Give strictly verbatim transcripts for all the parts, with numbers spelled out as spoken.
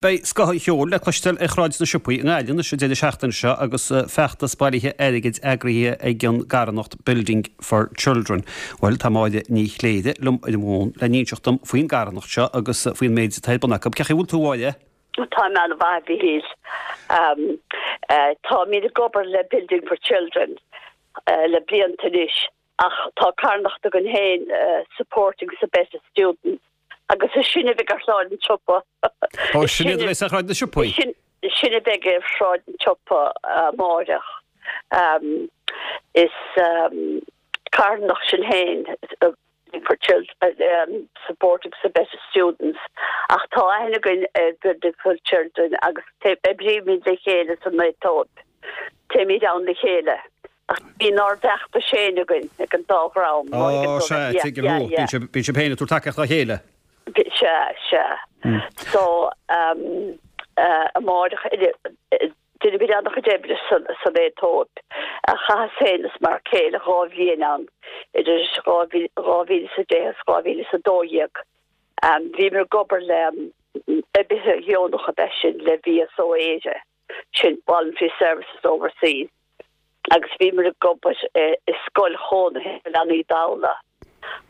Beidh scoth an cheoil le cloisteáil ar Shráid na Siopaí i nGaillimh anois an deireadh seachtaine seo agus feachtas bailithe airgid eagraithe ag an gcarthanacht Building for Children. Bhuel, tá Máire Ní Chléire liom ar an bhfón le n-inseacht dom faoin gcarthanacht seo agus faoin méid atá ar bun acu. Cén chaoi a bhfuil tú, a Mháire? Tá mé an-mhaith, a Mhíchíl. Táimid ag obair le Building for Children le blianta anois ach tá carthanacht againn féin Supporting Sabetta Students agus is sin a bheidh ar Shráid an tSiopa. Ó, sin iad a bheidh ar Shráid na Siopaí? Sin a bheidh ar Shráid an tSiopa amárach. Is carthanacht sin féin for children, Supporting Sabetta Students ach tá aithne againn ar Building for Children agus oibrímid le chéile san Aetóip. Téimid ann le chéile. Ach bíonn ár bhfeachtas féin againn ag an dá dhream. Ó, sea, tuigim thú. Bíonn sibh féin ag tabhairt tacaíocht dá chéile. Sea, sea. So, amárach, déanaimid an-chuid oibre san Aetóip. Chaitheas féin is m'fhear céile dhá bhliain ann, idir dhá mhíle is a deich is dhá mhíle is a dó dhéag. Bhíomar ag obair le oibrithe dheonacha ab ea sin le V S O Éire, sin Voluntary Services Overseas, agus bhíomar ag obair i scoil chónaithe leanaí dalla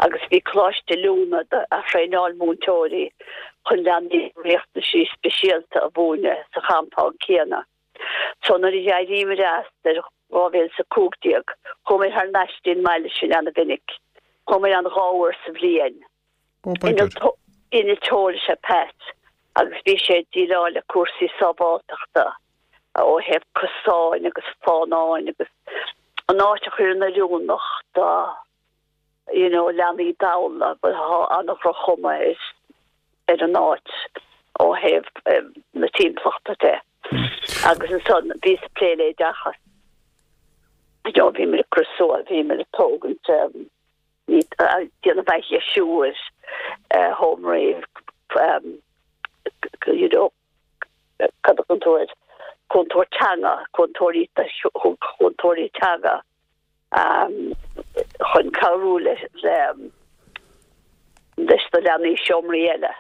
agus bhí coláiste oiliúna a thraenáil múinteoirí chun leanaí riachtanaisí speisialta a mhúineadh sa champound céanna. So nuair a d'éiríomar as ar dhá mhíle is a cúig déag, chuamar thar n-ais dtí'n mbaile sin an-mhinic. Chuamar ann dhá uair sa bhliain. Innealtóir is ea Pat agus bhí sé ag déileáil le cúrsaí sábháilteachta ó thaobh cosáin agus fánáin agus an áit a chur in oiriúnach do you know, leanaí dalla, but tá an-dhroch-chuma ar an áit ó thaobh na timpeallachta de. Agus ansan bhíos ag plé le oideachas. You know, bhíomar ag cur suas, bhíomar ag tógaint déanamh athdheisiú ar sheomraí, you know, cad a cúntóir cúntóir teanga, cúntóirí cúntóirí teanga um, chun cabhrú le le leis na leanaí seomraí eile.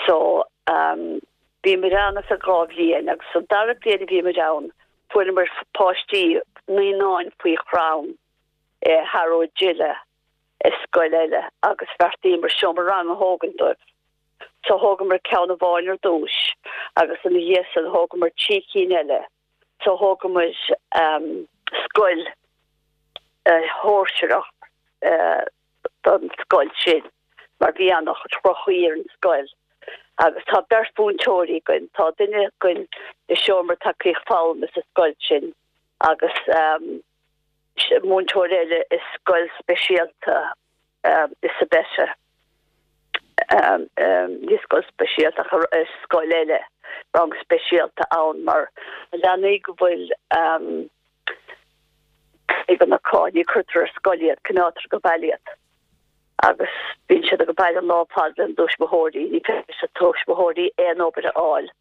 So um, bhíomar ann sa dhá bhliain agus sa dara bliain a bhíomar ann fuaireamar páistí naíonáin faoi chrann i Harrow Gille i scoil eile agus bheartaíomar seomra ranga a thógaint dóibh. So thógamar ceann amháin ar dtús agus ina dhiaidh sin thógamar trí cinn eile. So thógamar um, scoil uh, shóisearach uh, don scoil sin mar bhí an-droch-chaoi ar an scoil. Agus tá beirt mhúinteoirí againn, tá duine againn i seomra tacaíocht foghlama sa scoil sin agus um, múinteoir eile i scoil speisialta um, i Sabetta. Um, um, ní scoil speisialta ach i scoil eile rang speisialta ann mar leanaí go bhfuil um, ag an acu ní cuirtear ar scoil iad, coinnítear sa bhaile iad. Agus bíonn siad ag baile lá fad an tuismitheoirí, ní féidir le tuismitheoirí aon obair a fháil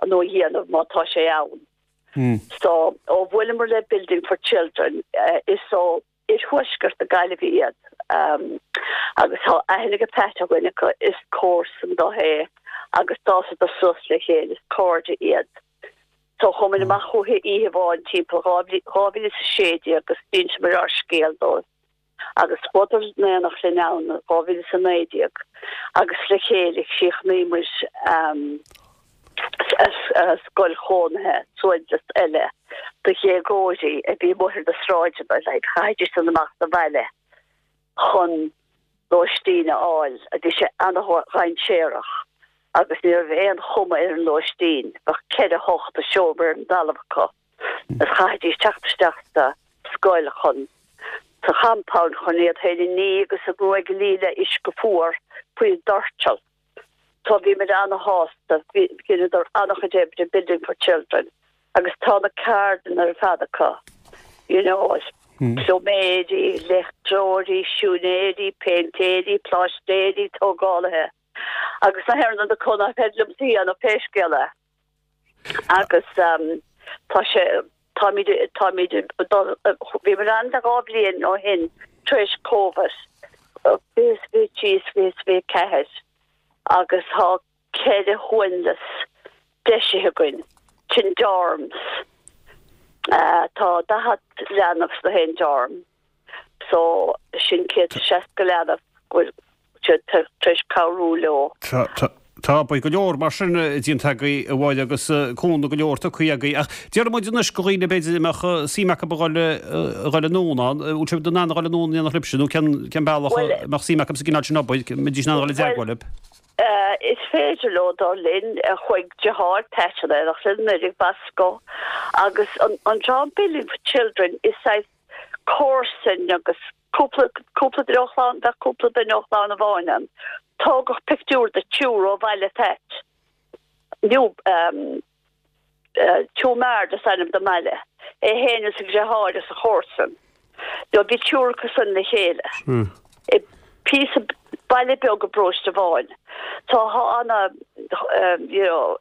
an nó dhéanamh má tá sé ann. Mm. So ó bhuaileamar le Building for Children uh, is ó iarthuaisceart na Gaillimhe iad um, agus tá aithne ag Pat againn acu is comharsan dó é agus d'fhásadar suas le chéile is cairde iad. So chuamar amach chucu oíche amháin timpeall dhá mhíle is a sé déag agus d'inseamar ár scéal dóibh. Agus chuadar in éineacht linn ann dhá mhíle is a naoi déag agus le chéile chríochnaíomar um, scoil chónaithe suaimhneas eile do dhéagóirí a bhí amuigh ar na sráideanna le chaithfidís san amach sa bhaile chun lóistín a fháil a bhí sé an-dainséarach agus ní raibh aon chuma ar an lóistín bheadh ceithre hocht a seomra ar an dtalamh acu is chaithfidís teacht isteach sa scoil chun sa compound chun iad féin a ní agus a gruaig a lí le uisce fuar faoi doirteal. So bhíomar an-shásta rinneadar an-chuid oibre Building for Children agus tá na ceardlanna ar fad acu. You know, Hmm. pluiméirí, leictreoirí, siúinéirí, péintéirí, pláistéirí, tógálaithe. Agus na hena na cona feidlim sí an pé scéal é. Agus um, tá sé táimid táimid bhíomar ann de dhá bhliain ó shin tar éis Covid fiche fiche trí fiche fiche ceathair agus tá ceithre shuaimhneas deisithe againn, sin dorms. Tá daichead leanbh sna haon dorm so sin céad is seasca leanbh go bhfuil siad tar éis cabhrú leo. Tá, beidh go leor mar sin déanta agaibh, a Mháire, agus cúnamh go leor tugtha agaibh. Ach déarfaidh muid anois go dhaoine b'fhéidir a mbeadh suim acu a dhul a dhul anonn ann, bhfuil sibh in ann a dhul anonn in éineacht libhse nó cén cén bealach a mbeadh suim acu sa gcineál sin obair, mbeidís in ann a dhul i dteagmháil libh? Is féidir leo dul linn chuig deartháir Pat in éineacht linn nuair ag Basco agus an an dream Building for Children is saghas comharsain agus cúpla cúpla duine ó chlann bheadh cúpla duine ó chlann amháin ann. Tógadh pictiúr de triúr ó bhaile Phat. Nó um, uh, Tiomard is ainm don mbaile. É féin is a dheartháir is a chomharsan. Do bhí triúr acu san le chéile. Hmm. I píosa baile beag i bparóiste amháin. Tá ana um, you know,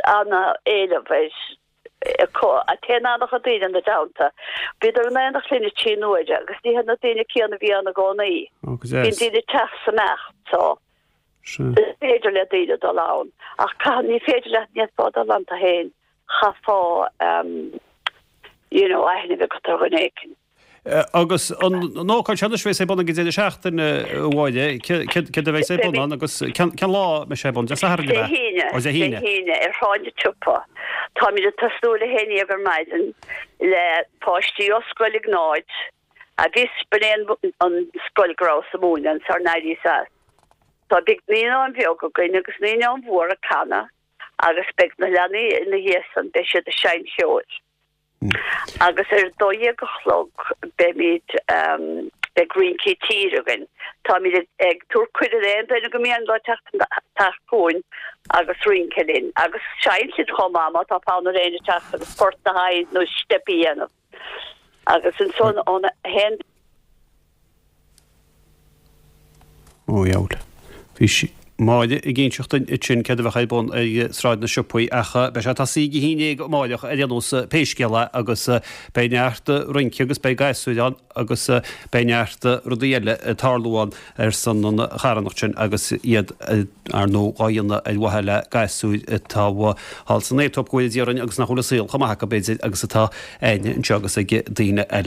ana éileamh air a téann an-chuid daoine ina dteannta. Bhíodar in éineacht linn trí huaire agus ní hiad na daoine céanna a bhí ann i gcónaí. Bíonn daoine ag teacht is ag imeacht so is féidir le daoine dul ann. Ach caithfidh ní féidir leat ní fhéadfá dul ann tú féin chaithfeá um, you know, aithne a bheith agat ar dhuine éigin. Agus an ócáid seo anois a bheas ar bun ag an deireadh seachtaine, a Mháire, céard a bheas ar bun ann agus cén lá a mbeidh sé ar bun? Dé Sathairn Dé hAoine, Ó Dé Dé hAoine. hAoine ar Shráid na Siopa. Táimid ag tosnú ar a haon déag ar maidin le páistí ó Scoil Iognáid a bhí b'in é an scoil go rabhas ag múineadh sar n-éiríos as. Tá beidh naíonáin bheag againn agus naíonáin mhór ag canadh agus beidh na leanaí ina dhiaidh san beidh siad ag seinnt cheoil. Agus ar a dó dhéag a chlog beimid beidh rince tíre againn. Táimid ag tabhairt cuireadh d'aon duine go mian leo teacht teacht chugainn agus rince linn agus seinnt linn chomh maith má tá fonn ar éinne teacht agus port a sheinnt nó steip a dhéanamh. Agus ansan ón haon Ó dheabhail. Bhí sí. Máire ag inseacht dúinn ansin céard a bheadh ar bun ar Sráid na Siopaí ach beidh sé ag tosaí ag a haon déag amáireach ar aon nós pé scéal é agus beidh neart rince agus beidh gasúir ann agus beidh neart rudaí eile ag tarlú ann ar son an charthanacht sin agus iad ar ndóigh á dhéanamh ar mhaithe le gasúir atá thall san Aetóip go bhfóire Dia orainn agus nach bhfuil an saol chomh maith acu b'fhéidir agus atá againne anseo agus ag daoine eile.